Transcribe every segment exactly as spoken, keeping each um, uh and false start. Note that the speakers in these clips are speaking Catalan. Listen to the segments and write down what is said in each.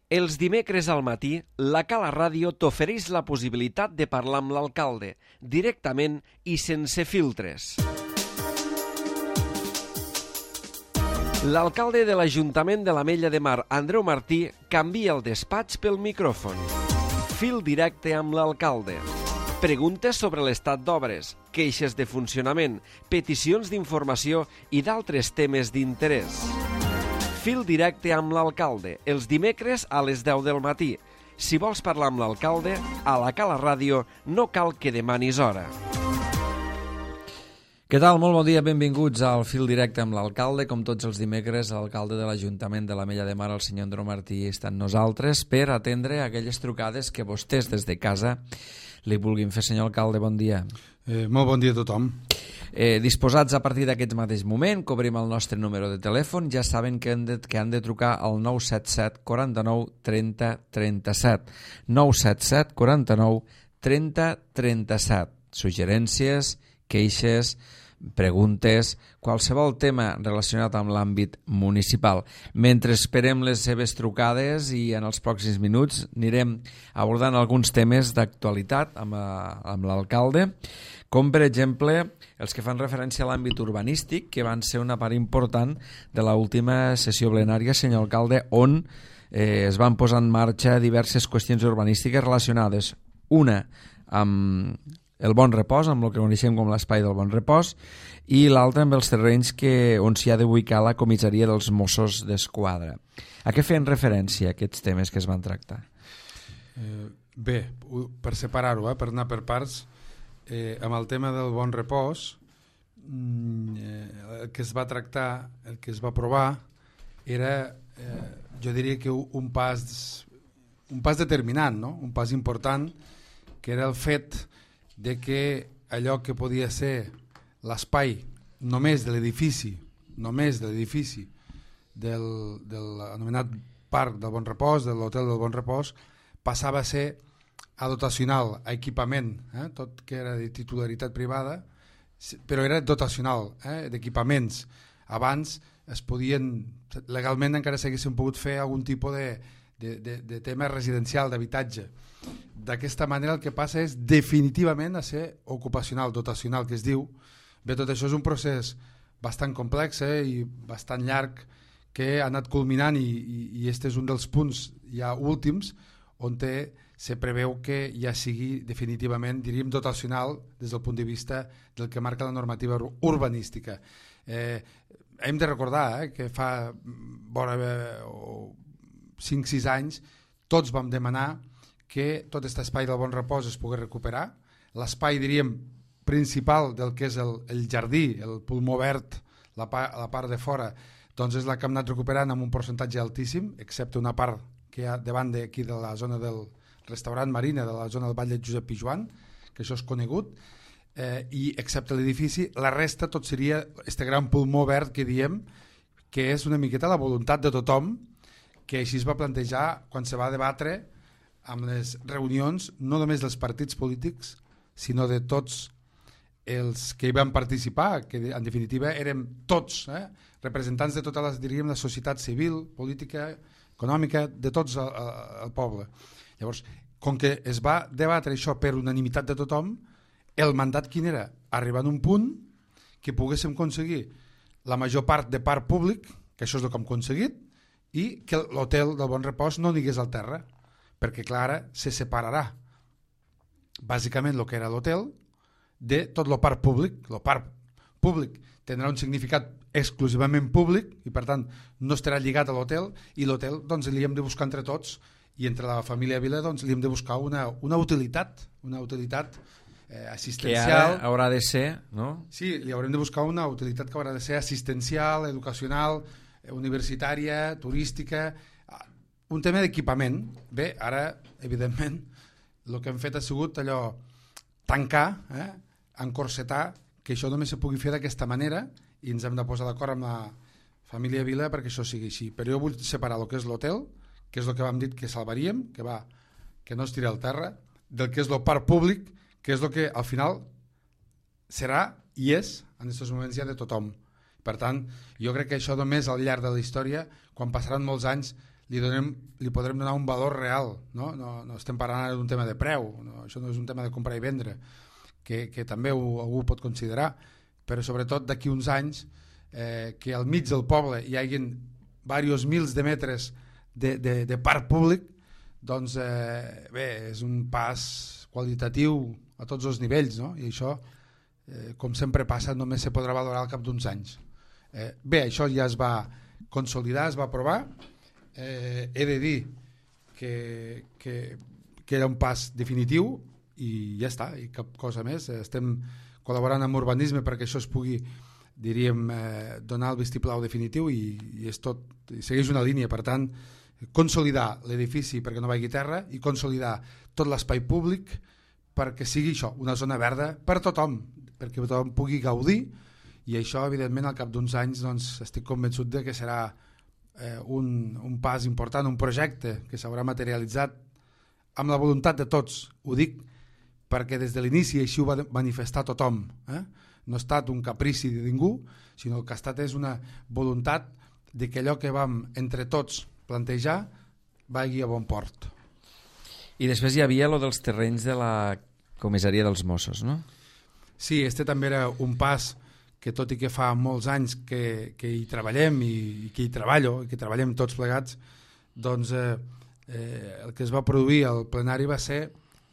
Els dimecres al matí, la Cala Ràdio t'ofereix la possibilitat de parlar amb l'alcalde, directament i sense filtres. L'alcalde de l'Ajuntament de l'Ametlla de Mar, Andreu Martí, canvia el despatx pel micròfon. Fil directe amb l'alcalde. Preguntes sobre l'estat d'obres, queixes de funcionament, peticions d'informació i d'altres temes d'interès. Fil directe amb l'alcalde, els dimecres a les deu del matí. Si vols parlar amb l'alcalde, a la Cala Ràdio no cal que demanis hora. Què tal? Molt bon dia, benvinguts al Fil Directe amb l'alcalde. Com tots els dimecres, l'alcalde de l'Ajuntament de l'Ametlla de Mar, el senyor Andreu Martí, està amb nosaltres per atendre aquelles trucades que vostès des de casa li vulguin fer. Senyor alcalde, bon dia. Eh, molt bon dia a tothom. Eh, disposats a partir d'aquest mateix moment, cobrim el nostre número de telèfon. Ja saben que han de, que han de trucar al nou set set, quaranta-nou, trenta, trenta-set. nou set set, quaranta-nou, trenta, trenta-set. Suggerències, queixes, preguntes, qualsevol tema relacionat amb l'àmbit municipal. Mentre esperem les seves trucades i en els pròxims minuts anirem abordant alguns temes d'actualitat amb, amb l'alcalde, com per exemple els que fan referència a l'àmbit urbanístic, que van ser una part important de l'última sessió plenària, senyor alcalde, on eh, es van posar en marxa diverses qüestions urbanístiques relacionades, una amb el Bon Repòs, amb el que coneixem com l'espai del Bon Repòs, i l'altra amb els terrenys que, on s'hi ha d'ubicar la comissaria dels Mossos d'Esquadra. A què feien referència aquests temes que es van tractar? Eh, bé, per separar-ho, eh, per anar per parts, eh, amb el tema del Bon Repòs, eh, el que es va tractar, el que es va aprovar, era, eh, jo diria que un pas, un pas determinant, no? Un pas important, que era el fet de que allò que podia ser l'espai només de l'edifici, només de l'edifici del, de l'anomenat Parc del Bon Repòs, de l'Hotel del Bon Repòs, passava a ser a dotacional, a equipament, eh? Tot que era de titularitat privada, però era dotacional, eh? d'equipaments. Abans es podien, legalment encara s'haguessin pogut fer algun tipus de, de, de, de tema residencial, d'habitatge. D'aquesta manera el que passa és definitivament a ser ocupacional, dotacional, que es diu. Bé, tot això és un procés bastant complex eh, i bastant llarg que ha anat culminant i, i, i este és un dels punts ja últims on té, se preveu que ja sigui definitivament, diríem, dotacional des del punt de vista del que marca la normativa urbanística. Eh, hem de recordar eh, que fa vora cinc sis anys tots vam demanar que tot aquest espai del Bon Repòs es pogués recuperar. L'espai, diríem, principal del que és el, el jardí, el pulmó verd, la, pa, la part de fora, doncs és la que hem anat recuperant amb un percentatge altíssim, excepte una part que hi ha davant d'aquí de la zona del restaurant Marina, de la zona del Vall de Josep Pijuan, que això és conegut, eh, i excepte l'edifici, la resta tot seria este gran pulmó verd que diem, que és una miqueta la voluntat de tothom, que així es va plantejar quan se va debatre amb les reunions, no només dels partits polítics, sinó de tots els que hi van participar, que en definitiva érem tots, eh? representants de tota la, diríem, la societat civil, política, econòmica, de tots el, el poble. Llavors, com que es va debatre això per unanimitat de tothom, el mandat quin era? Arribar a un punt que poguéssim aconseguir la major part de parc públic, que això és el que hem aconseguit, i que l'hotel del Bon Repòs no anigués al terra, perquè clar, ara se separarà bàsicament el que era l'hotel de tot el parc públic. El parc públic tindrà un significat exclusivament públic i per tant no estarà lligat a l'hotel, i l'hotel doncs li hem de buscar entre tots i entre la família Vila doncs li hem de buscar una, una utilitat, una utilitat eh, assistencial. Que ara haurà de ser, no? Sí, li haurem de buscar una utilitat que haurà de ser assistencial, educacional, universitària, turística, un tema d'equipament. Bé, ara, evidentment, el que hem fet ha sigut allò, tancar, eh, encorsetar, que això només se pugui fer d'aquesta manera, i ens hem de posar d'acord amb la família Vila perquè això sigui així. Però jo vull separar el que és l'hotel, que és el que vam dir que salvaríem, que va, que no es tira al terra, del que és el parc públic, que és el que al final serà i és, en aquests moments ja de tothom. Per tant, jo crec que això només al llarg de la història, quan passaran molts anys, li, donem, li podrem donar un valor real, no, no, no estem parlant d'un tema de preu, no? Això no és un tema de comprar i vendre, que, que també ho, algú pot considerar, però sobretot d'aquí uns anys eh, que al mig del poble hi hagi diversos mils de metres de, de, de parc públic, doncs eh, bé, és un pas qualitatiu a tots els nivells, no? I això, eh, com sempre passa, només se podrà valorar al cap d'uns anys. Eh, bé, això ja es va consolidar, es va aprovar. Eh, he de dir que, que, que era un pas definitiu i ja està, i cap cosa més. Estem col·laborant amb urbanisme perquè això es pugui, diríem, eh, donar el vistiplau definitiu i, i és tot, i segueix una línia. Per tant, consolidar l'edifici perquè no vagi terra i consolidar tot l'espai públic perquè sigui això, una zona verda per tothom, perquè tothom pugui gaudir, i això evidentment al cap d'uns anys doncs, estic convençut de que serà eh, un, un pas important, un projecte que s'haurà materialitzat amb la voluntat de tots. Ho dic perquè des de l'inici així ho va manifestar tothom, eh? No ha estat un caprici de ningú, sinó que ha estat és una voluntat de que allò que vam entre tots plantejar vagi a bon port. I després hi havia lo dels terrenys de la comissaria dels Mossos, no? Sí, este també era un pas que, tot i que fa molts anys que, que hi treballem i, i que hi treballo, i que treballem tots plegats, doncs eh, eh, el que es va produir al plenari va ser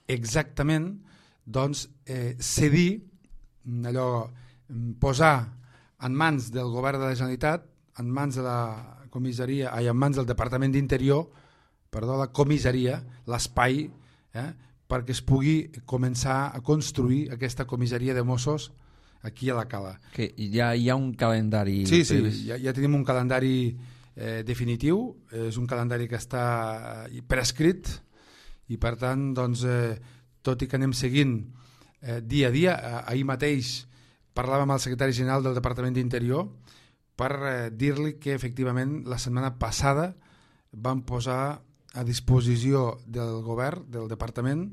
exactament doncs, eh, cedir, allò, posar en mans del govern de la Generalitat, en mans de la comissaria, ai, en mans del Departament d'Interior, perdó, la comissaria, l'espai, eh, perquè es pugui començar a construir aquesta comissaria de Mossos aquí a la Cala. Que ja hi ha un calendari... Sí, sí, ja, ja tenim un calendari eh, definitiu, és un calendari que està prescrit i per tant, doncs, eh, tot i que anem seguint eh, dia a dia, eh, ahir mateix parlàvem amb el secretari general del Departament d'Interior per eh, dir-li que efectivament la setmana passada vam posar a disposició del govern, del departament,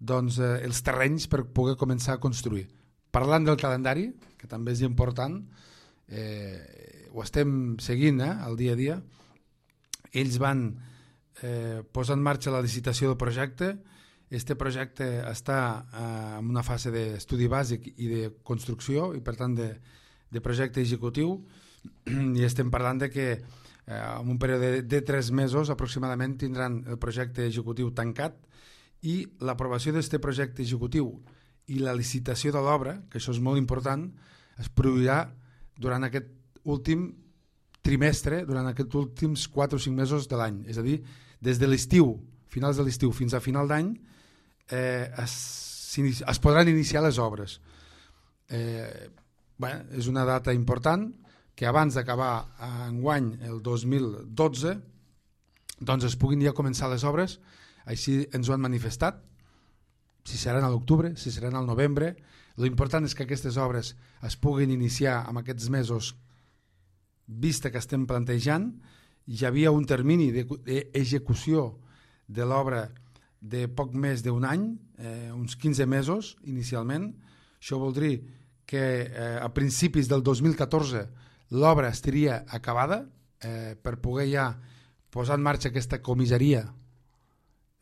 doncs, eh, els terrenys per poder començar a construir. Parlant del calendari, que també és important, eh, ho estem seguint eh, al dia a dia, ells van eh, posar en marxa la licitació del projecte. Este projecte està eh, en una fase d'estudi bàsic i de construcció i per tant de, de projecte executiu, i estem parlant de que eh, en un període de, de tres mesos aproximadament tindran el projecte executiu tancat i l'aprovació d'aquest projecte executiu i la licitació de l'obra, que això és molt important, es produirà durant aquest últim trimestre, durant aquests últims quatre o cinc mesos de l'any. És a dir, des de l'estiu, finals de l'estiu fins a final d'any, eh, es, es podran iniciar les obres. Eh, bueno, és una data important que abans d'acabar enguany el dos mil dotze doncs es puguin ja començar les obres, així ens ho han manifestat, si seran a l'octubre, si seran al novembre. L'important és que aquestes obres es puguin iniciar en aquests mesos, vista que estem plantejant. Hi havia un termini d'execució de l'obra de poc més d'un any, eh, uns quinze mesos inicialment. Això vol dir que eh, a principis del dos mil catorze l'obra estaria acabada eh, per poder ja posar en marxa aquesta comissaria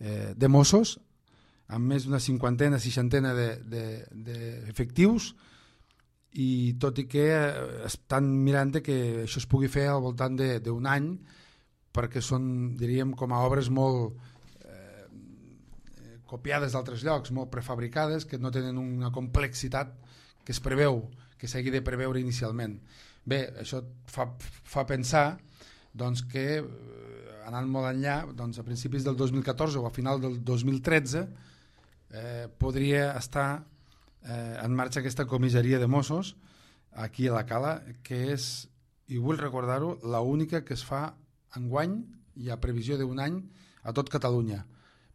eh, de Mossos amb més d'una cinquantena, seixantena d'efectius, i tot i que estan mirant que això es pugui fer al voltant d'un any, perquè són, diríem, com a obres molt eh, copiades d'altres llocs, molt prefabricades, que no tenen una complexitat que es preveu, que s'hagi de preveure inicialment. Bé, això fa, fa pensar doncs, que, anant molt enllà, doncs, a principis del dos mil catorze o a final del dos mil tretze, Eh, podria estar eh, en marxa aquesta comissaria de Mossos aquí a la Cala, que és, i vull recordar-ho, l'única que es fa enguany i a previsió d'un any a tot Catalunya,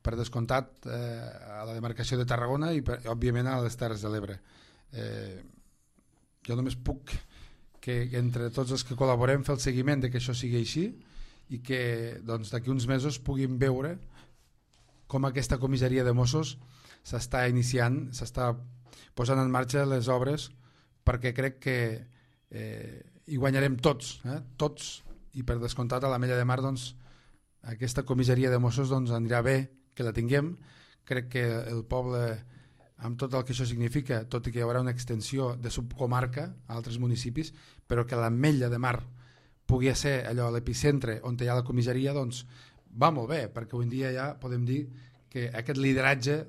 per descomptat eh, a la demarcació de Tarragona i per, òbviament a les Terres de l'Ebre. Eh, jo només puc que entre tots els que col·laborem fer el seguiment de que això sigui així i que doncs, d'aquí uns mesos puguin veure com aquesta comissaria de Mossos s'està iniciant, s'està posant en marxa les obres, perquè crec que eh, hi guanyarem tots, eh? tots, i per descomptat a l'Ametlla de Mar doncs, aquesta comissaria de Mossos doncs, anirà bé que la tinguem. Crec que el poble, amb tot el que això significa, tot i que hi haurà una extensió de subcomarca a altres municipis, però que l'Ametlla de Mar pugui ser allò l'epicentre on hi ha la comissaria, doncs va molt bé, perquè avui en dia ja podem dir que aquest lideratge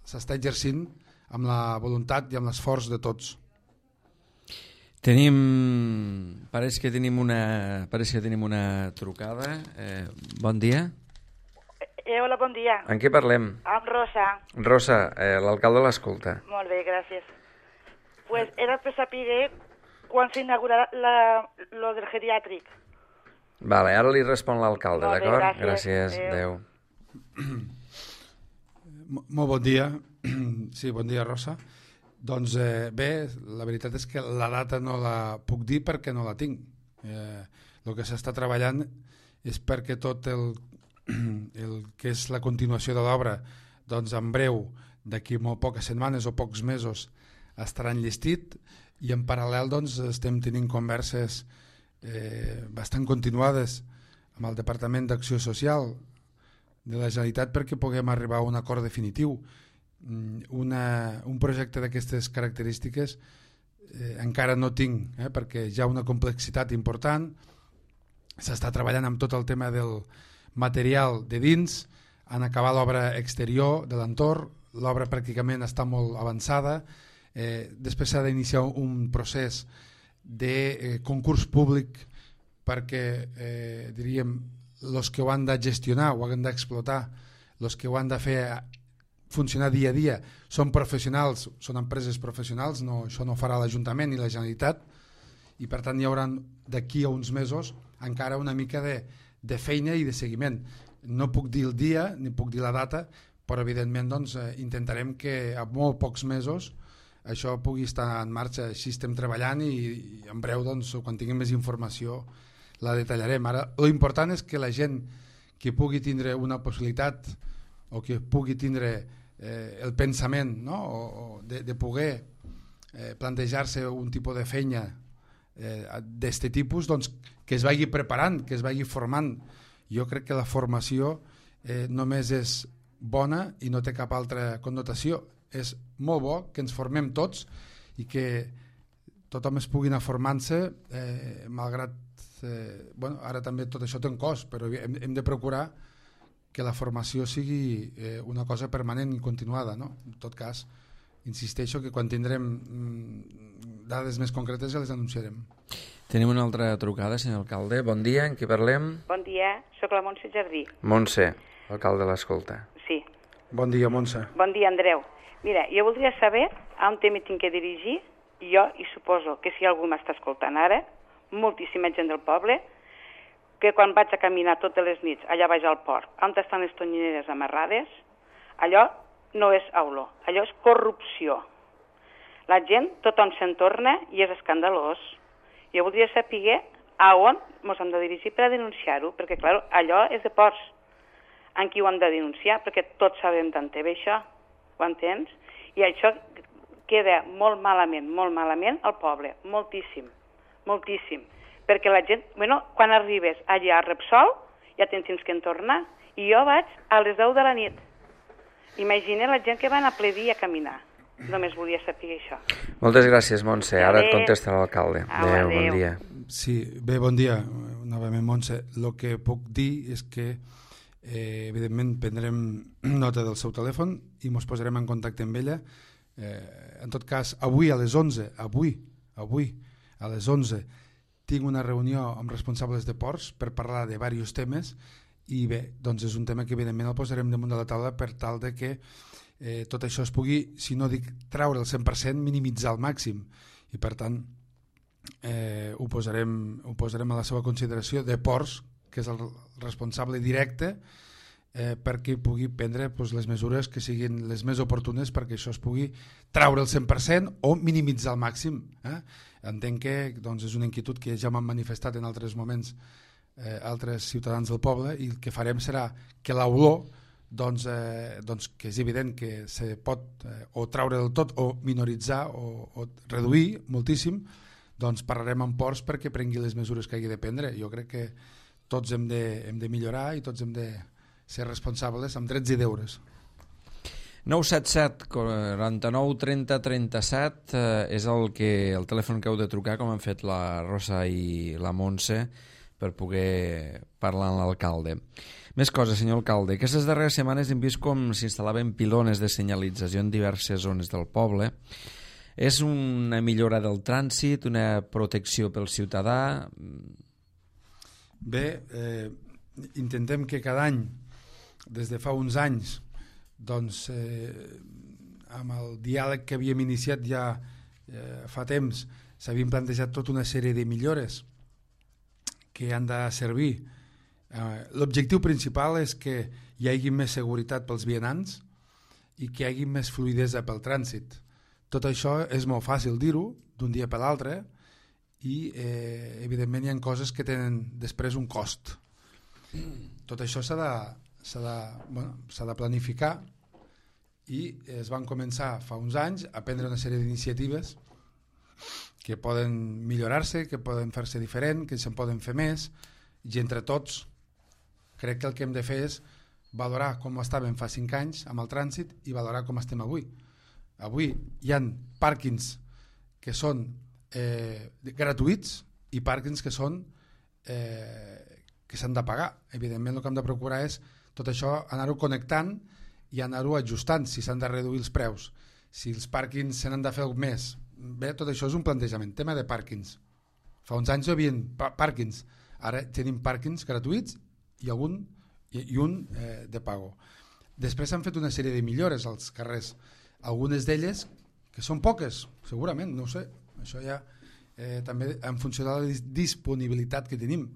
s'està exercint amb la voluntat i amb l'esforç de tots. Tenim... Pareix que tenim una, pareix que tenim una trucada. Eh, bon dia. Eh, hola, bon dia. En què parlem? Amb Rosa. Rosa, eh, l'alcalde l'escolta. Molt bé, gràcies. Pues era per saber quan s'inaugurarà la, lo del geriàtric. Vale, ara li respon l'alcalde, d'acord? Gràcies. Gràcies, adeu. Molt bon dia. Sí, bon dia, Rosa. Doncs eh, bé, la veritat és que la data no la puc dir perquè no la tinc. Eh, el que s'està treballant és perquè tot el, el que és la continuació de l'obra, doncs en breu, d'aquí molt poques setmanes o pocs mesos, estarà enllestit, i en paral·lel doncs, estem tenint converses eh, bastant continuades amb el Departament d'Acció Social de la Generalitat perquè puguem arribar a un acord definitiu. Una, un projecte d'aquestes característiques eh, encara no tinc, eh, perquè hi ha una complexitat important. S'està treballant amb tot el tema del material de dins, han acabat l'obra exterior de l'entorn, l'obra pràcticament està molt avançada, eh, després s'ha d'iniciar un procés de eh, concurs públic perquè eh, diríem els que ho han de gestionar, ho han d'explotar, els que ho han de fer funcionar dia a dia són professionals, són empreses professionals, no, això no farà l'Ajuntament ni la Generalitat, i per tant hi haurà d'aquí a uns mesos encara una mica de, de feina i de seguiment. No puc dir el dia ni puc dir la data, però evidentment doncs, eh, intentarem que a molt pocs mesos això pugui estar en marxa. Així estem treballant i, i en breu doncs, quan tinguem més informació la detallarem. Ara l'important és que la gent que pugui tindre una possibilitat o que pugui tindre eh, el pensament, no? o, o de, de poder eh, plantejar-se un tipus de feina eh, d'aquest tipus, doncs, que es vagi preparant, que es vagi formant. Jo crec que la formació eh, només és bona i no té cap altra connotació. És molt bo que ens formem tots i que tothom es pugui anar formant-se, eh, malgrat eh, bueno, ara també tot això té un cost, però hem, hem de procurar que la formació sigui eh, una cosa permanent i continuada, no? En tot cas, insisteixo que quan tindrem mm, dades més concretes ja les anunciarem. Tenim una altra trucada, senyor alcalde. Bon dia, en qui parlem? Bon dia, sóc la Montse Jardí. Montse, l'alcalde l'escolta. Sí. Bon dia, Montse. Bon dia, Andreu. Mira, jo voldria saber a on m'he tinc que dirigir, jo, i suposo que si algú m'està escoltant ara, moltíssima gent del poble, que quan vaig a caminar totes les nits allà baix al port, on estan les tonyineres amarrades, allò no és auló, allò és corrupció. La gent, tothom se'n torna i és escandalós. Jo voldria saber a on ens hem de dirigir per a denunciar-ho, perquè, clar, allò és de ports. En qui ho hem de denunciar? Perquè tots sabem tant té bé això, ho entens? I això queda molt malament, molt malament al poble, moltíssim, moltíssim. Perquè la gent, bueno, quan arribes allà a Repsol, ja tens temps que en tornar, i jo vaig a les deu de la nit. Imagina la gent que van a ple dia a caminar. Només volia saber això. Moltes gràcies, Montse. Ara et contesta l'alcalde. Adéu, bon dia. Sí, bé, bon dia, novament, Montse. El que puc dir és que, eh, evidentment, prendrem nota del seu telèfon i ens posarem en contacte amb ella. Eh, en tot cas, avui a les onze, avui, avui, a les onze, tinc una reunió amb responsables de ports per parlar de diversos temes i bé, doncs és un tema que evidentment el posarem damunt de la taula per tal de que eh, tot això es pugui, si no dic treure el cent per cent, minimitzar al màxim i per tant eh, ho, posarem, ho posarem a la seva consideració de ports, que és el responsable directe eh, perquè pugui prendre doncs, les mesures que siguin les més oportunes perquè això es pugui treure el cent per cent o minimitzar al màxim. Eh? Entenc que doncs, és una inquietud que ja m'han manifestat en altres moments eh, altres ciutadans del poble i el que farem serà que l'olor doncs, eh, doncs, que és evident que se pot eh, o treure del tot o minoritzar o, o reduir moltíssim, doncs parlarem amb ports perquè prengui les mesures que hagi de prendre. Jo crec que tots hem de, hem de millorar i tots hem de ser responsables amb drets i deures. nou set set quaranta-nou trenta trenta-set eh, és el, que, el telèfon que heu de trucar, com han fet la Rosa i la Montse, per poder parlar amb l'alcalde. Més coses, senyor alcalde. Aquestes darreres setmanes hem vist com s'instal·laven pilones de senyalització en diverses zones del poble. És una millora del trànsit, una protecció pel ciutadà? Bé, eh, intentem que cada any, des de fa uns anys, doncs, eh, amb el diàleg que havíem iniciat ja eh, fa temps, s'havien plantejat tota una sèrie de millores que han de servir. Eh, l'objectiu principal és que hi hagi més seguretat pels vianants i que hi hagi més fluidesa pel trànsit. Tot això és molt fàcil dir-ho d'un dia per l'altre i eh, evidentment hi ha coses que tenen després un cost. Tot això s'ha de, s'ha de, bueno, s'ha de planificar i es van començar fa uns anys a prendre una sèrie d'iniciatives que poden millorar-se, que poden fer-se diferent, que se'n poden fer més, i entre tots crec que el que hem de fer és valorar com estàvem fa cinc anys amb el trànsit i valorar com estem avui. Avui hi ha pàrquings que són eh, gratuïts i pàrquings que són eh, que s'han de pagar. Evidentment el que hem de procurar és tot això anar-ho connectant i anar-ho ajustant, si s'han de reduir els preus, si els pàrquings se n'han de fer més. Bé, tot això és un plantejament. Tema de pàrquings. Fa uns anys hi havia pàrquings, ara tenim pàrquings gratuïts i, algun, i, i un eh, de pago. Després s'han fet una sèrie de millores als carrers, algunes d'elles que són poques, segurament, no ho sé, això ja eh, també en funció de la disponibilitat que tenim.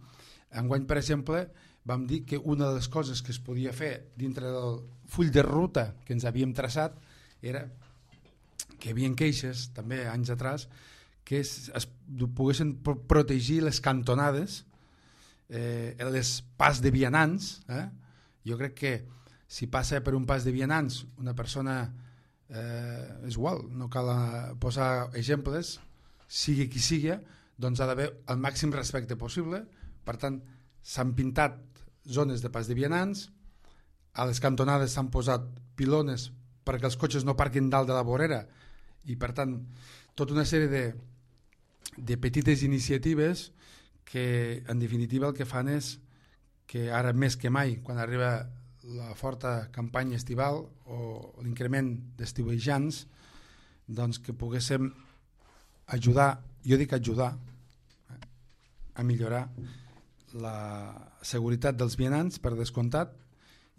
Enguany, per exemple, vam dir que una de les coses que es podia fer dintre del full de ruta que ens havíem traçat era que hi havia queixes, també anys atrás, que es, es poguessin protegir les cantonades, eh, les pas de vianants. Eh? Jo crec que si passa per un pas de vianants una persona, eh, és igual, no cal posar exemples, sigui qui sigui, doncs ha d'haver el màxim respecte possible. Per tant, s'han pintat zones de pas de vianants, a les cantonades s'han posat pilones perquè els cotxes no parquin dalt de la vorera, i per tant tota una sèrie de, de petites iniciatives que en definitiva el que fan és que ara més que mai, quan arriba la forta campanya estival o l'increment d'estiuejants, doncs que poguéssim ajudar, jo dic ajudar, eh, a millorar la seguretat dels vianants, per descomptat,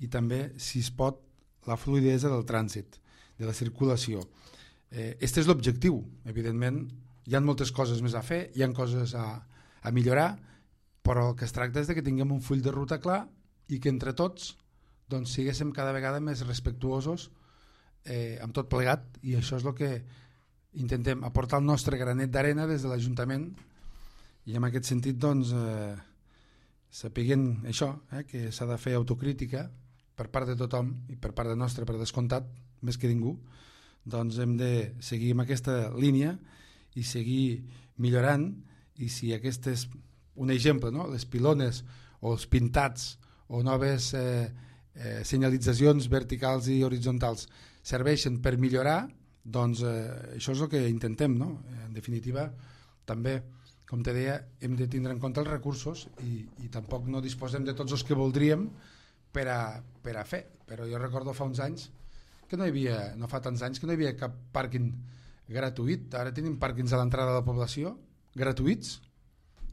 i també, si es pot, la fluidesa del trànsit, de la circulació. Eh, este és l'objectiu. Evidentment, hi ha moltes coses més a fer, hi ha coses a, a millorar, però el que es tracta és de que tinguem un full de ruta clar i que entre tots doncs, siguéssim cada vegada més respectuosos eh, amb tot plegat, i això és el que intentem, aportar el nostre granet d'arena des de l'Ajuntament, i en aquest sentit doncs, eh, sapiguent això, eh, que s'ha de fer autocrítica per part de tothom i per part de nostra, per descomptat, més que ningú, doncs hem de seguir amb aquesta línia i seguir millorant, i si aquest és un exemple, no? Les pilones o els pintats o noves eh, eh, senyalitzacions verticals i horitzontals serveixen per millorar, doncs eh, això és el que intentem, no? En definitiva, també, com te deia, hem de tindre en compte els recursos i, i tampoc no disposem de tots els que voldríem per a, per a fer, però jo recordo fa uns anys que no hi havia, no fa tants anys que no hi havia cap pàrquing gratuït. Ara tenim pàrquings a l'entrada de la població gratuïts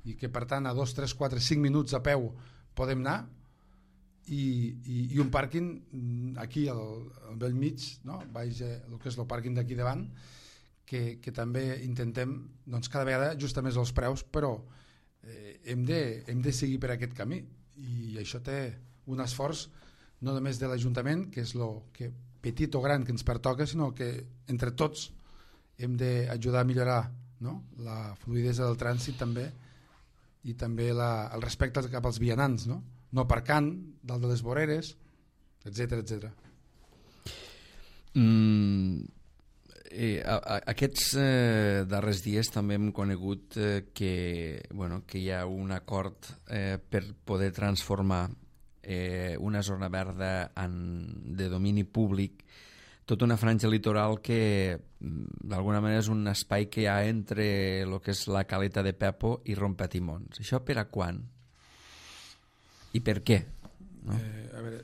i que per tant a dos, tres, quatre, cinc minuts a peu podem anar, i, i, i un pàrquing aquí al, al vell mig, no? Baix, el que és el pàrquing d'aquí davant, que, que també intentem doncs, cada vegada ajustar més els preus, però eh, hem, de, hem de seguir per aquest camí, i això té un esforç no només de l'Ajuntament, que és el que petit o gran que ens pertoca, sinó que entre tots hem d'ajudar a millorar, no? La fluidesa del trànsit també, i també la, el respecte cap als vianants, no? No aparcant dalt de les voreres, etcètera, etcètera. Mm, Eh, a, a, aquests eh, darrers dies també hem conegut eh, que, bueno, que hi ha un acord eh, per poder transformar eh, una zona verda en, de domini públic, tota una franja litoral que d'alguna manera és un espai que hi ha entre el que és la Caleta de Pepo i Rompetimons. Això per a quan? I per què? No? Eh, a veure,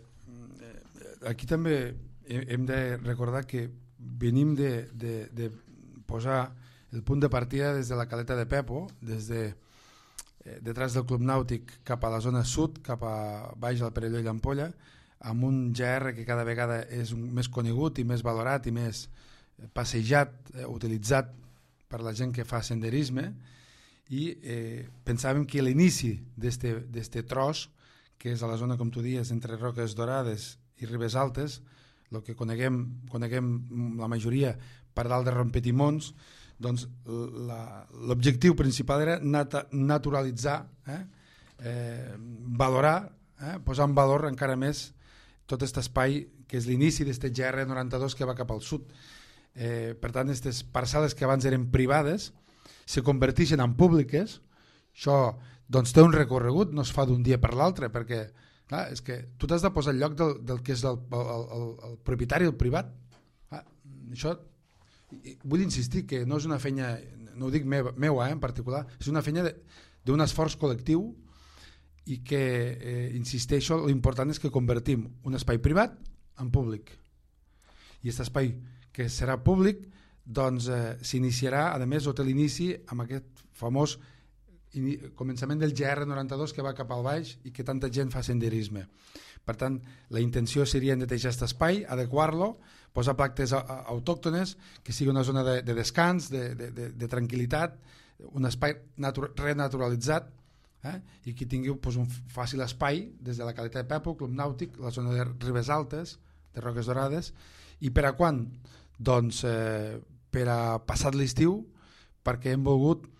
aquí també hem de recordar que venim de, de, de posar el punt de partida des de la Caleta de Pepo, des de eh, detrás del Club Nàutic cap a la zona sud, cap a baix al Perelló i l'Ampolla, amb un G R que cada vegada és un, més conegut i més valorat i més passejat, eh, utilitzat per la gent que fa senderisme, i eh, pensàvem que l'inici d'este tros, que és a la zona, com tu dies, entre Roques Dorades i Ribes Altes, el que coneguem, coneguem la majoria per dalt de Rompetimons, doncs l'objectiu principal era nat naturalitzar, eh? Eh, valorar, eh? posar en valor encara més tot aquest espai que és l'inici d'aquest G R noranta-dos que va cap al sud. Eh, per tant, aquestes parcel·les que abans eren privades se converteixen en públiques. Això doncs, té un recorregut, no es fa d'un dia per l'altre, perquè clar, és que tu t'has de posar al lloc del, del que és el, el, el, el propietari, el privat. Ah, això, vull insistir que no és una feina, no ho dic meua, meua eh, en particular, és una feina d'un esforç col·lectiu i que, eh, insisteixo, l'important és que convertim un espai privat en públic. I aquest espai que serà públic doncs eh, s'iniciarà, a més, o té l'inici amb aquest famós començament del G R noranta-dos que va cap al baix i que tanta gent fa senderisme. Per tant, la intenció seria netejar aquest espai, adequar-lo, posar plantes autòctones, que sigui una zona de, de descans, de, de, de, de tranquil·litat, un espai renaturalitzat, eh? i que tingui pues, un fàcil espai des de la Caleta de Pepo, Club Nàutic, la zona de Ribes Altes, de Roques Dorades. I per a quan? Doncs eh, per a passat l'estiu, perquè hem volgut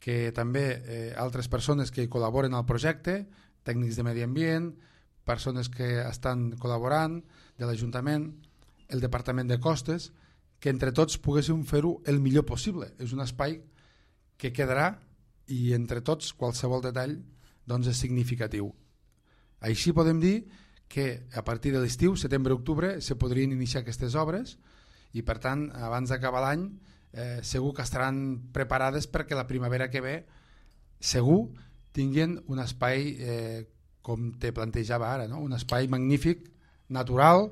que també eh, altres persones que col·laboren al projecte, tècnics de medi ambient, persones que estan col·laborant, de l'Ajuntament, el Departament de Costes, que entre tots poguéssim fer-ho el millor possible. És un espai que quedarà i entre tots qualsevol detall doncs, és significatiu. Així podem dir que a partir de l'estiu, setembre-octubre, se podrien iniciar aquestes obres i per tant, abans d'acabar l'any, Eh, segur que estaran preparades perquè la primavera que ve segur tinguin un espai eh, com te plantejava ara, no? Un espai magnífic, natural,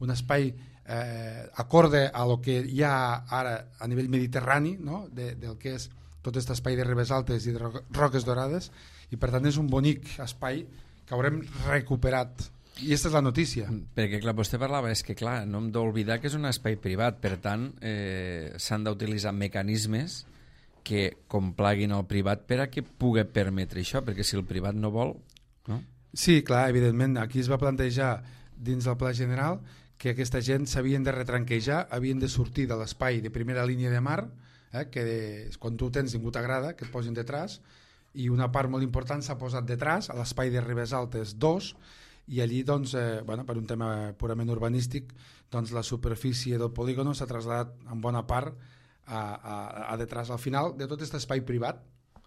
un espai eh, acorde a lo que hi ha ara a nivell mediterrani, no? de, del que és tot aquest espai de Ribes Altes i de Roques Dorades, i per tant és un bonic espai que haurem recuperat. I aquesta és la notícia. Perquè clar, vostè parlava, és que clar, no hem d'oblidar que és un espai privat, per tant eh, s'han d'utilitzar mecanismes que complaguin el privat per a que pugui permetre això, perquè si el privat no vol, no? Sí, clar, evidentment, aquí es va plantejar dins del pla general que aquesta gent s'havien de retranquejar, havien de sortir de l'espai de primera línia de mar, eh, que de, quan tu tens ningú t'agrada, que et posin detrás, i una part molt important s'ha posat detrás, a l'espai de Ribes Altes dos, i allí, doncs, eh, bueno, per un tema purament urbanístic, doncs, la superfície del polígon s'ha traslladat en bona part a, a, a detrás. Al final de tot aquest espai privat,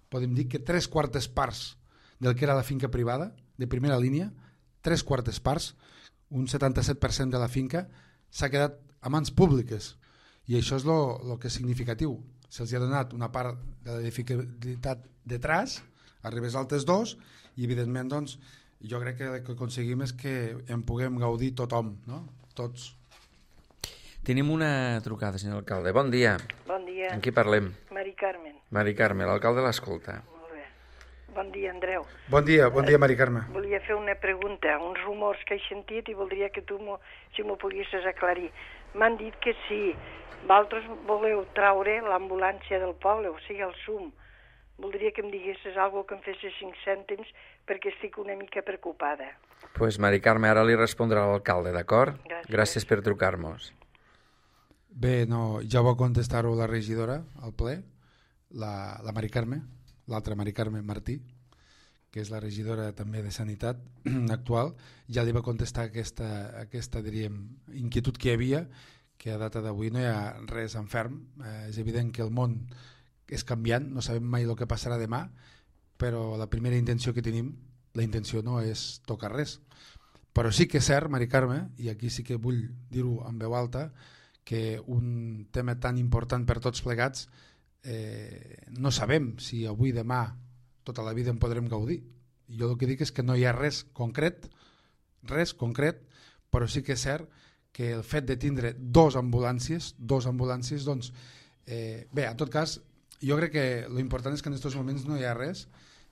podem dir que tres quartes parts del que era la finca privada, de primera línia, tres quartes parts, un setanta-set per cent de la finca, s'ha quedat a mans públiques. I això és el que és significatiu. Se'ls ha donat una part de l'edificabilitat detrás, a Ribes Altes dos, i evidentment, doncs, jo crec que el que aconseguim és que en puguem gaudir tothom, no? Tots. Tenim una trucada, senyor alcalde. Bon dia. Bon dia. Amb qui parlem? Mari Carmen. Mari Carme, l'alcalde l'escolta. Molt bé. Bon dia, Andreu. Bon dia, bon dia, Mari Carme. Volia fer una pregunta, uns rumors que he sentit i voldria que tu m'ho, si m'ho poguessis aclarir. M'han dit que si vosaltres voleu traure l'ambulància del poble, o sigui, el S U M, voldria que em diguessis alguna que em fessis cinc cèntims perquè estic una mica preocupada. Doncs pues, Mari Carme, ara li respondrà l'alcalde, d'acord? Gràcies. Gràcies per trucar-nos. Bé, no, ja va contestar-ho la regidora al ple, la, la Mari Carme, l'altra Mari Carme Martí, que és la regidora també de Sanitat actual, ja li va contestar aquesta, aquesta diríem, inquietud que hi havia, que a data d'avui no hi ha res en ferm. Eh, és evident que el món és canviant, no sabem mai el que passarà demà, però la primera intenció que tenim, la intenció no és tocar res. Però sí que és cert, Mari Carme, i aquí sí que vull dir-ho en veu alta, que un tema tan important per tots plegats eh, no sabem si avui, demà, tota la vida en podrem gaudir. I jo el que dic és que no hi ha res concret, res concret, però sí que és cert que el fet de tindre dos ambulàncies, dos ambulàncies, doncs, eh, bé, en tot cas, jo crec que l'important és que en aquests moments no hi ha res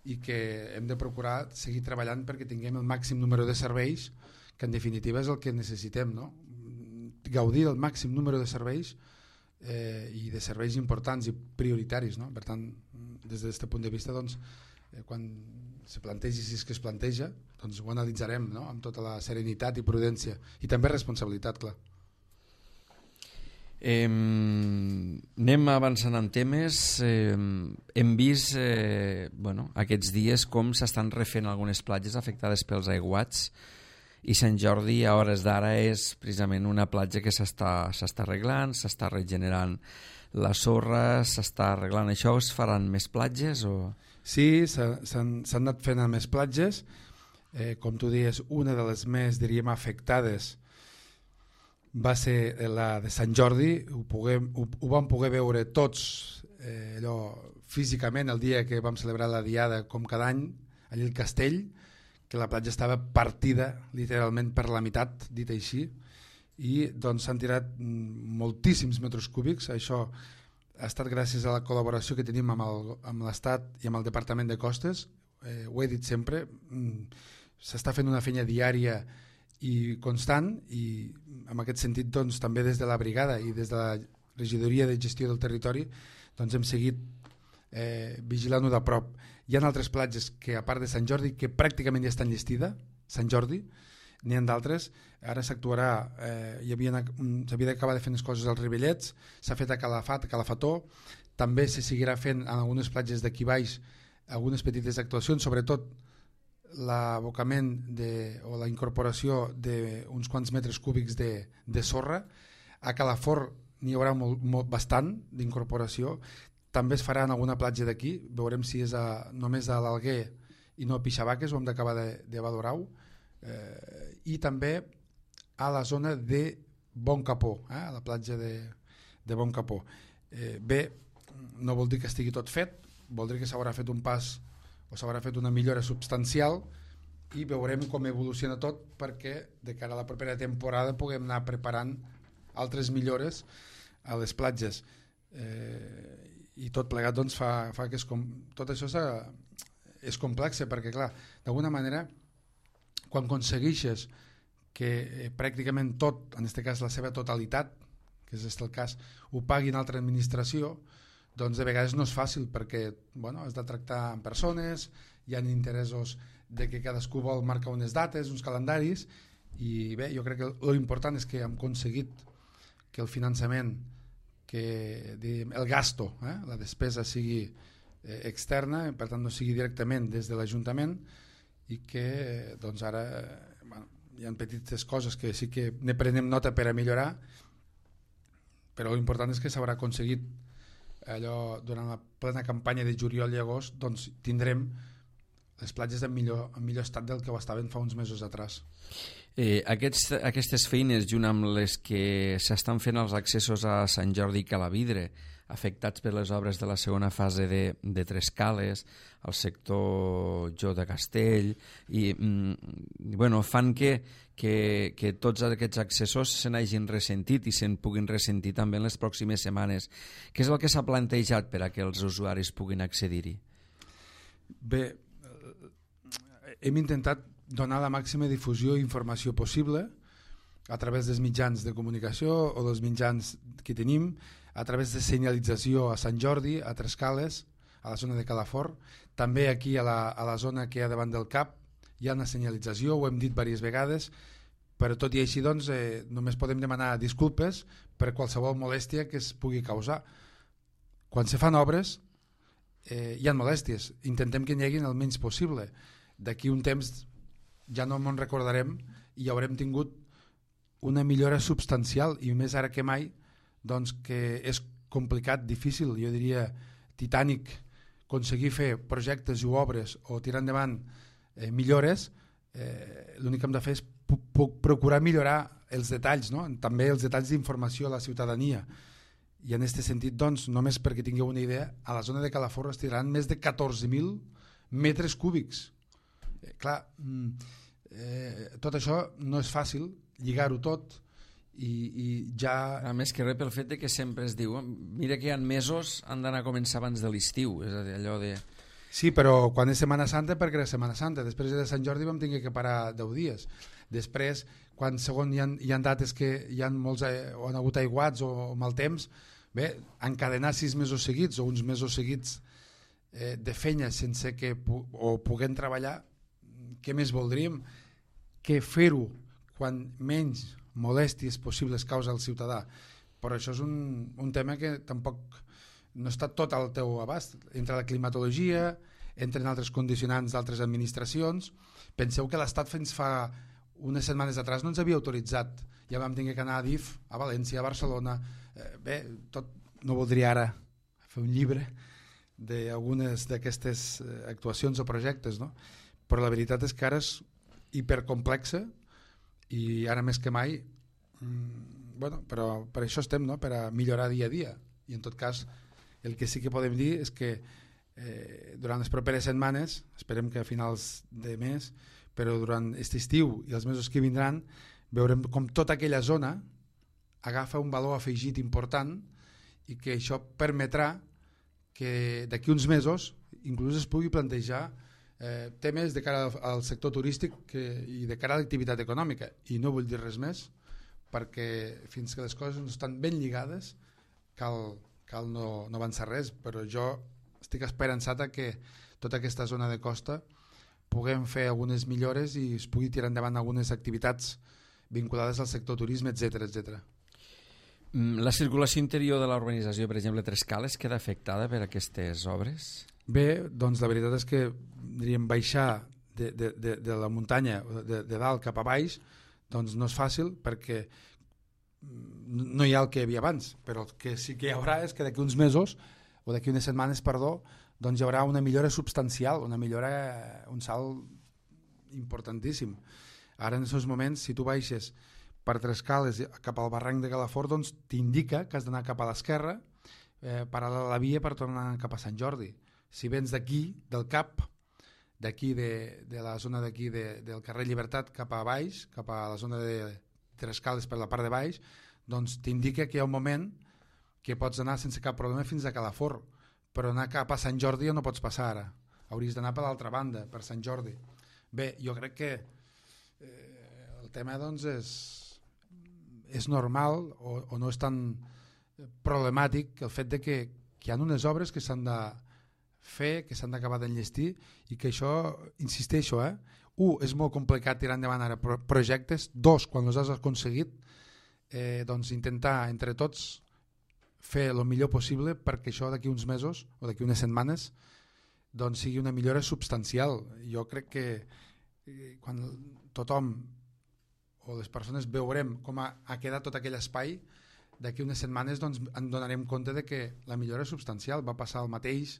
i que hem de procurar seguir treballant perquè tinguem el màxim número de serveis, que en definitiva és el que necessitem, no? Gaudir del màxim número de serveis eh, i de serveis importants i prioritaris, no? Per tant, des d'aquest punt de vista, doncs, eh, quan se plantegi, si és que es planteja, doncs ho analitzarem, no? Amb tota la serenitat i prudència i també responsabilitat, clar. Eh, anem avançant en temes. Eh, hem vist eh, bueno, aquests dies com s'estan refent algunes platges afectades pels aiguats, i Sant Jordi a hores d'ara és precisament una platja que s'està s'està arreglant, s'està regenerant la sorra, s'està arreglant això. Es faran més platges? O... Sí, s'han anat fent més platges. Eh, com tu dius, una de les més, diríem, afectades va ser la de Sant Jordi. Ho, puguem, ho, ho vam poder veure tots eh, allò, físicament el dia que vam celebrar la diada, com cada any, allà al castell, que la platja estava partida literalment per la meitat, dit així, i doncs s'han tirat moltíssims metres cúbics. Això ha estat gràcies a la col·laboració que tenim amb l'Estat i amb el Departament de Costes. Eh, ho he dit sempre, s'està fent una feina diària i constant, i en aquest sentit doncs, també des de la brigada i des de la regidoria de gestió del territori doncs, hem seguit eh, vigilant-ho de prop. Hi ha altres platges que, a part de Sant Jordi, que pràcticament ja estan llestida, Sant Jordi, n'hi ha d'altres. Ara s'actuarà, eh, s'havia d'acabar de fer les coses als Ribellets, s'ha fet a Calafat, a Calafató, també se seguirà fent en algunes platges d'aquí baix algunes petites actuacions, sobretot l'abocament o la incorporació d'uns quants metres cúbics de, de sorra. A Calafort n'hi haurà molt, molt, bastant d'incorporació. També es farà en alguna platja d'aquí, veurem si és a, només a l'Alguer i no a Pixabaques, ho hem d'acabar de, de valorar-ho, eh, i també a la zona de Bon Capó, eh, a la platja de, de Bon Capó. Eh, bé, no vol dir que estigui tot fet, vol dir que s'haurà fet un pas o s'haurà fet una millora substancial i veurem com evoluciona tot perquè de cara a la propera temporada puguem anar preparant altres millores a les platges. Eh, i tot plegat doncs, fa, fa que es com... tot això és complex perquè clar, d'alguna manera quan aconsegueixes que eh, pràcticament tot, en aquest cas la seva totalitat, que és el cas, ho pagui una altra administració, doncs de vegades no és fàcil perquè bueno, has de tractar amb persones, hi ha interessos de que cadascú vol marcar unes dates, uns calendaris, i bé, jo crec que l'important és que hem aconseguit que el finançament, que diguem, el gasto, eh, la despesa sigui eh, externa, per tant no sigui directament des de l'Ajuntament, i que eh, doncs ara eh, bueno, hi ha petites coses que sí que ne prenem nota per a millorar, però l'important és que s'haurà aconseguit allò durant la plena campanya de juliol i agost, doncs tindrem les platges en millor, en millor estat del que ho estaven fa uns mesos atrás. Eh, aquests, aquestes feines, junt amb les que s'estan fent els accessos a Sant Jordi i Calavidre, afectats per les obres de la segona fase de, de Tres Cales, al sector Jo de Castell, i mm, bueno, fan que, que, que tots aquests accessos se n'hagin ressentit i se'n puguin ressentir també en les pròximes setmanes. Què és el que s'ha plantejat per a que els usuaris puguin accedir-hi? Bé, hem intentat donar la màxima difusió i informació possible a través dels mitjans de comunicació o dels mitjans que tenim, a través de senyalització a Sant Jordi, a Tres Cales, a la zona de Calafort, també aquí a la, a la zona que hi ha davant del C A P hi ha una senyalització, ho hem dit diverses vegades, però tot i així doncs, eh, només podem demanar disculpes per qualsevol molèstia que es pugui causar. Quan se fan obres eh, hi ha molèsties, intentem que n'hi hagi el menys possible. D'aquí un temps ja no ens recordarem i haurem tingut una millora substancial, i més ara que mai, doncs, que és complicat, difícil, jo diria titànic, aconseguir fer projectes o obres o tirar endavant eh, millores. Eh, l'únic que hem de fer és procurar millorar els detalls, no? També els detalls d'informació a la ciutadania. I en aquest sentit, doncs, només perquè tingueu una idea, a la zona de Calafort es tiraran més de catorze mil metres cúbics. Eh, clar, eh, tot això no és fàcil, lligar-ho tot, i, i ja... A més que res pel fet de que sempre es diu mira que hi ha mesos, han d'anar a començar abans de l'estiu, és a dir, allò de... Sí, però quan és Setmana Santa, perquè és Setmana Santa. Després de Sant Jordi vam tenir que parar deu dies. Després, quan segon hi ha, hi ha dates que hi ha molts, o han hagut aiguats o, o mal temps, bé, encadenar sis mesos seguits o uns mesos seguits eh, de feina sense que pu o puguem treballar, què més voldríem que fer-ho quan menys molèsties possibles causa al ciutadà. Però això és un, un tema que tampoc no està tot al teu abast. Entre la climatologia, entren altres condicionants d'altres administracions. Penseu que l'Estat fins fa unes setmanes atrás no ens havia autoritzat. Ja vam tenir que anar a D I F, a València, a Barcelona. Eh, bé, tot, no voldria ara fer un llibre d'algunes d'aquestes actuacions o projectes, no? Però la veritat és que ara és hipercomplexa i ara més que mai, mmm, bueno, però per això estem, no? Per a millorar dia a dia. I en tot cas, el que sí que podem dir és que eh, durant les properes setmanes, esperem que a finals de mes, però durant aquest estiu i els mesos que vindran, veurem com tota aquella zona agafa un valor afegit important i que això permetrà que d'aquí uns mesos inclús es pugui plantejar eh, temes de cara al sector turístic que, i de cara a l'activitat econòmica. I no vull dir res més, perquè fins que les coses no estan ben lligades cal, cal no, no avançar res, però jo estic esperançat que tota aquesta zona de costa puguem fer algunes millores i es pugui tirar endavant algunes activitats vinculades al sector turisme, etcètera, etcètera. La circulació interior de la urbanització, per exemple, Trescales, queda afectada per aquestes obres? Bé, doncs la veritat és que diríem baixar de, de, de, de la muntanya de, de dalt cap a baix doncs no és fàcil perquè no hi ha el que hi havia abans, però el que sí que hi haurà és que d'aquí uns mesos o d'aquí unes setmanes, perdó, doncs hi haurà una millora substancial, una millora, un salt importantíssim. Ara en aquests moments, si tu baixes per Trescales cap al barranc de Calafort, doncs t'indica que has d'anar cap a l'esquerra, eh, paral·lel a la via per tornar cap a Sant Jordi. Si vens d'aquí, del cap, d'aquí de, de la zona d'aquí de, del carrer Llibertat cap a baix, cap a la zona de Trescales per la part de baix, doncs t'indica que hi ha un moment que pots anar sense cap problema fins a Calafort, però anar cap a Sant Jordi ja no pots passar ara. Hauries d'anar per l'altra banda, per Sant Jordi. Bé, jo crec que eh, el tema doncs és, és normal o, o no és tan problemàtic el fet de que, que hi ha unes obres que s'han de fer, que s'han d'acabar d'enllestir i que això, insisteixo, eh? un, és molt complicat tirar endavant ara projectes, dos, quan els has aconseguit, eh, doncs intentar entre tots fer el millor possible perquè això d'aquí uns mesos o d'aquí unes setmanes doncs sigui una millora substancial. Jo crec que eh, quan tothom o les persones veurem com ha, ha quedat tot aquell espai, d'aquí unes setmanes doncs, en donarem compte de que la millora és substancial. Va passar el mateix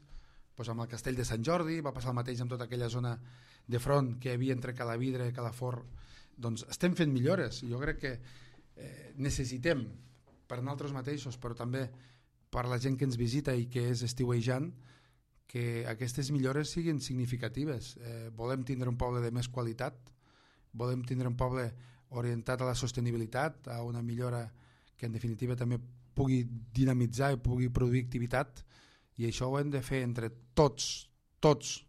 doncs, amb el Castell de Sant Jordi, va passar el mateix amb tota aquella zona de front que hi havia entre Calavidre i Calafort. Doncs estem fent millores. Jo crec que eh, necessitem per nosaltres mateixos, però també per la gent que ens visita i que és estiuejant, que aquestes millores siguin significatives. Eh, volem tindre un poble de més qualitat, volem tindre un poble orientat a la sostenibilitat, a una millora que en definitiva també pugui dinamitzar i pugui produir activitat, i això ho hem de fer entre tots, tots.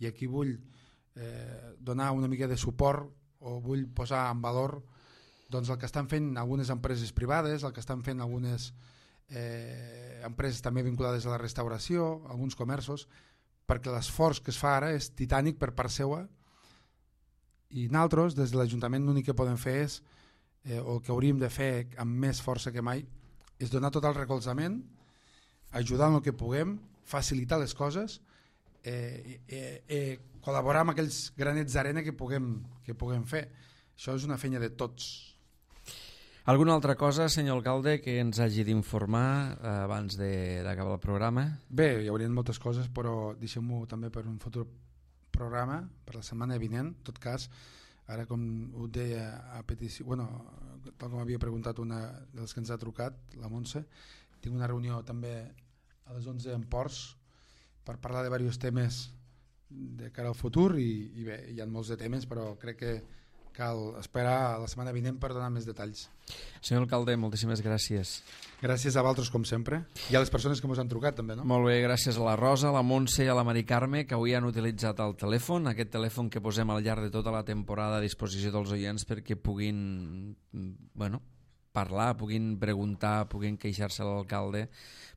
I aquí vull eh, donar una mica de suport o vull posar en valor doncs el que estan fent algunes empreses privades, el que estan fent algunes eh, empreses també vinculades a la restauració, alguns comerços, perquè l'esforç que es fa ara és titànic per part seua i nosaltres des de l'Ajuntament l'únic que podem fer és, eh, o el que hauríem de fer amb més força que mai, és donar tot el recolzament, ajudar en el que puguem, facilitar les coses, eh, eh, eh, col·laborar amb aquells granets d'arena que puguem, que puguem fer. Això és una feina de tots. Alguna altra cosa, senyor alcalde, que ens hagi d'informar eh, abans d'acabar el programa? Bé, hi haurien moltes coses, però deixem-ho també per un futur programa, per la setmana vinent. En tot cas, ara com ho deia a petició, bueno, tal com havia preguntat una dels que ens ha trucat, la Montse, tinc una reunió també a les onze en Ports per parlar de diversos temes de cara al futur i, i bé, hi ha molts de temes, però crec que cal esperar la setmana vinent per donar més detalls. Senyor alcalde, moltíssimes gràcies. Gràcies a vosaltres, com sempre, i a les persones que ens han trucat també, no? Molt bé, gràcies a la Rosa, a la Montse i a la Mari Carme, que avui han utilitzat el telèfon, aquest telèfon que posem al llarg de tota la temporada a disposició dels oients perquè puguin, bueno, parlar, puguin preguntar, puguin queixar-se a l'alcalde,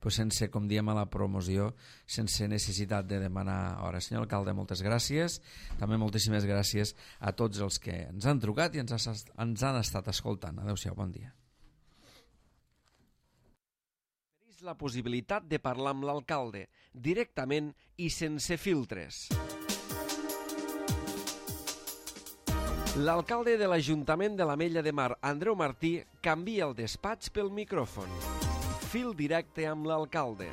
pues sense, com diem a la promoció, sense necessitat de demanar hora. Senyor alcalde, moltes gràcies. També moltíssimes gràcies a tots els que ens han trucat i ens, ha, ens han estat escoltant. Adéu-siau, bon dia. Tenéis la possibilitat de parlar amb l'alcalde directament i sense filtres. L'alcalde de l'Ajuntament de l'Ametlla de Mar, Andreu Martí, canvia el despatx pel micròfon. Fil directe amb l'alcalde.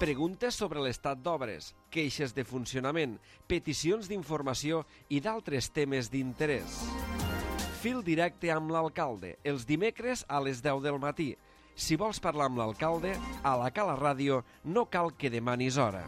Preguntes sobre l'estat d'obres, queixes de funcionament, peticions d'informació i d'altres temes d'interès. Fil directe amb l'alcalde, els dimecres a les deu del matí. Si vols parlar amb l'alcalde, a la Cala Ràdio no cal que demanis hora.